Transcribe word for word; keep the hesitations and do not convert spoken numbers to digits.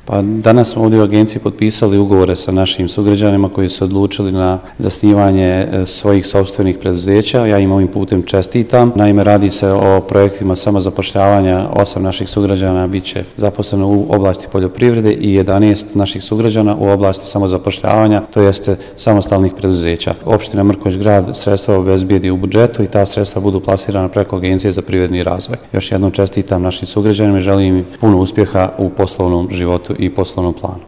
Pa danas smo ovdje u agenciji potpisali ugovore sa našim sugrađanima koji su odlučili na zasnivanje svojih sopstvenih preduzeća. Ja im ovim putem čestitam. Naime, radi se o projektima samozapošljavanja. Osam naših sugrađana bit će zaposleno u oblasti poljoprivrede i jedanaest naših sugrađana u oblasti samozapošljavanja, to jeste samostalnih preduzeća. Opština Mrkonjić Grad sredstva obezbijedi u budžetu i ta sredstva budu plasirana preko Agencije za privredni razvoj. Još jednom čestitam našim sugrađanima i želim im puno uspjeha u poslovnom životu i poslovnom planu.